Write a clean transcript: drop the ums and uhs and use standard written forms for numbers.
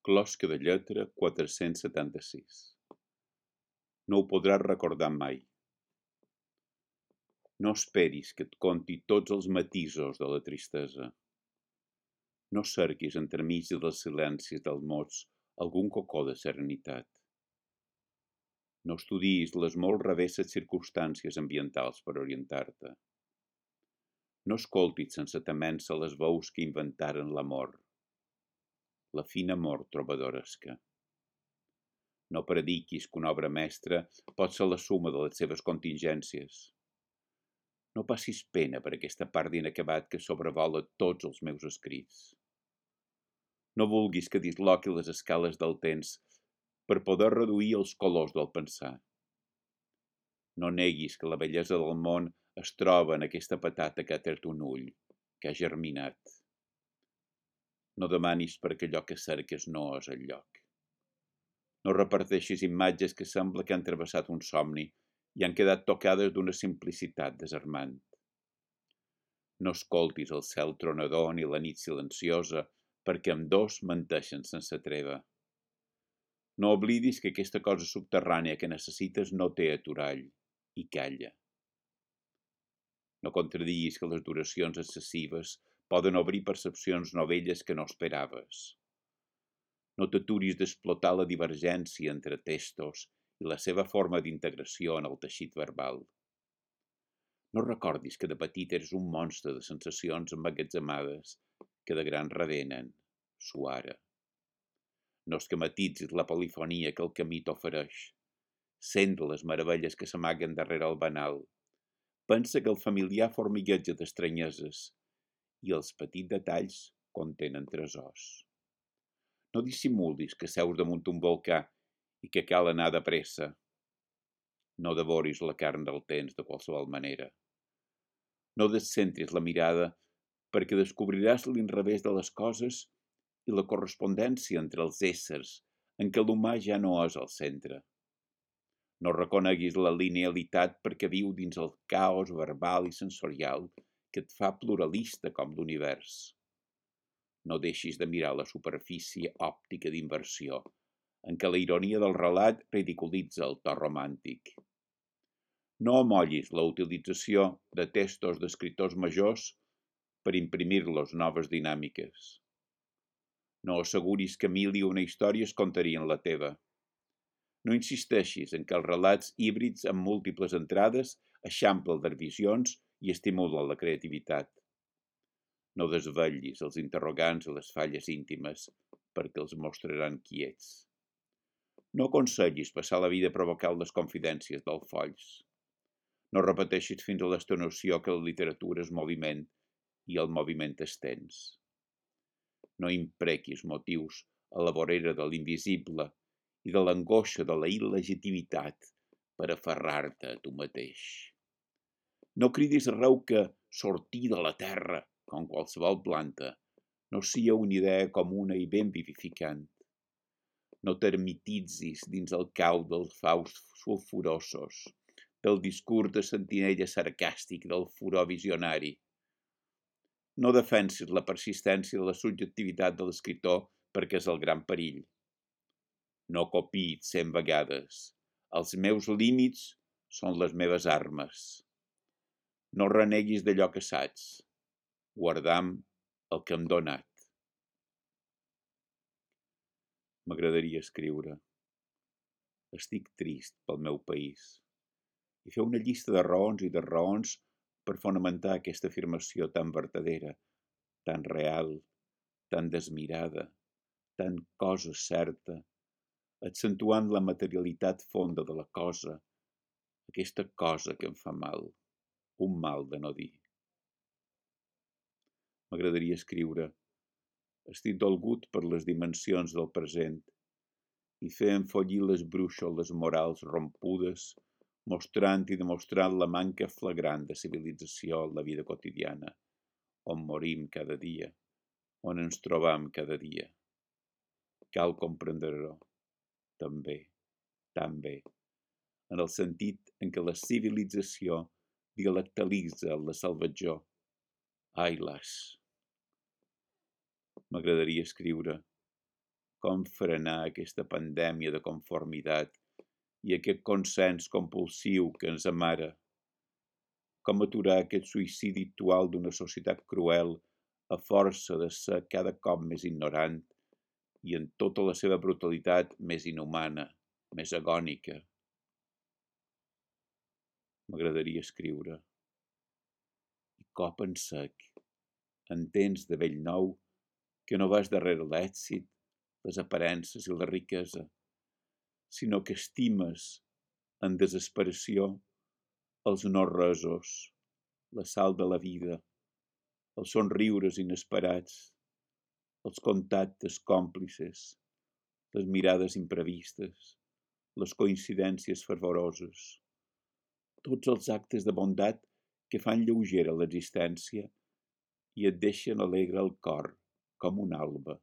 Closca de lletra 476. No ho podràs recordar mai. No esperis que et conti tots els matisos de la tristesa. No cerquis entremig dels silencis dels mots algun cocó de serenitat. No estudiïs les molt revesses circumstàncies ambientals per orientar-te. No escoltis sense temença les veus que inventaren l'amor, la fina amor trobadoresca. No prediquis que una obra mestra pot ser la suma de les seves contingències. No passis pena per aquesta part d'inacabat que sobrevola tots els meus escrits. No vulguis que disloqui les escales del temps per poder reduir els colors del pensar. No neguis que la bellesa del món es troba en aquesta patata que ha tret un ull, que ha germinat. No demanis perquè allò que cerques no és el lloc. No reparteixis imatges que sembla que han travessat un somni i han quedat tocades d'una simplicitat desarmant. No escoltis el cel tronador ni la nit silenciosa, perquè ambdós menteixen sense treva. No oblidis que aquesta cosa subterrània que necessites no té aturall, i calla. No contradiguis que les duracions excessives poden obrir percepcions novelles que no esperaves. No t'aturis d'explotar la divergència entre textos i la seva forma d'integració en el teixit verbal. No recordis que de petit eres un monstre de sensacions emmagatzemades que de gran revenen, suara. No esquematitzis la polifonia que el camí t'ofereix. Sent les meravelles que s'amaguen darrere el banal. Pensa que el familiar formigueja d'estranyeses i els petits detalls contenen tresors. No dissimulis que seus damunt un volcà i que cal anar de pressa. No devoris la carn del temps de qualsevol manera. No descentris la mirada perquè descobriràs l'inrevés de les coses i la correspondència entre els éssers en què l'humà ja no és el centre. No reconeguis la linealitat perquè viu dins el caos verbal i sensorial que et fa pluralista com l'univers. No deixis de mirar la superfície òptica d'inversió, en què la ironia del relat ridiculitza el to romàntic. No amollis la utilització de textos d'escriptors majors per imprimir-los noves dinàmiques. No asseguris que mil i una històries contarien la teva. No insisteixis en que els relats híbrids amb múltiples entrades eixamplen les visions i estimulen la creativitat. No desvetllis els interrogants i les falles íntimes perquè els mostraran quiets. No aconsellis passar la vida provocant les confidències dels folls. No repeteixis fins a l'extenuació que la literatura és moviment i el moviment és temps. No imprequis motius a la vorera de l'invisible i de l'angoixa de la il·legitimitat per aferrar-te a tu mateix. No cridis arreu que sortir de la terra, com qualsevol planta, no sia una idea comuna i ben vivificant. No t'ermititzis dins el cau dels faus sulfurosos, del discurs de sentinella sarcàstic del furor visionari. No defensis la persistència de la subjectivitat de l'escriptor perquè és el gran perill. No copiïs 100 vegades. Els meus límits són les meves armes. No reneguis d'allò que saps. Guardam el que hem donat. M'agradaria escriure. Estic trist pel meu país. I fer una llista de raons i de raons per fonamentar aquesta afirmació tan vertadera, tan real, tan desmirada, tan cosa certa, accentuant la materialitat fonda de la cosa, aquesta cosa que em fa mal, un mal de no dir. M'agradaria escriure. Estic dolgut per les dimensions del present i fer enfollir les brúixoles morals rompudes, mostrant i demostrant la manca flagrant de civilització en la vida quotidiana, on morim cada dia, on ens trobam cada dia. Cal comprendre-ho, també, tan bé, en el sentit en què la civilització dialectalitza la salvatjor. Ai, las! M'agradaria escriure. com frenar aquesta pandèmia de conformitat i aquest consens compulsiu que ens amara, com aturar aquest suïcidi actual d'una societat cruel a força de ser cada cop més ignorant i en tota la seva brutalitat més inhumana, més agònica. M'agradaria escriure. I cop en sec, en temps de vell nou, que no vas darrere l'èxit, les aparences i la riquesa, sinó que estimes, en desesperació, els no-resos, la sal de la vida, els somriures inesperats, els contactes còmplices, les mirades imprevistes, les coincidències fervoroses, tots els actes de bondat que fan lleugera l'existència i et deixen alegre el cor com un alba.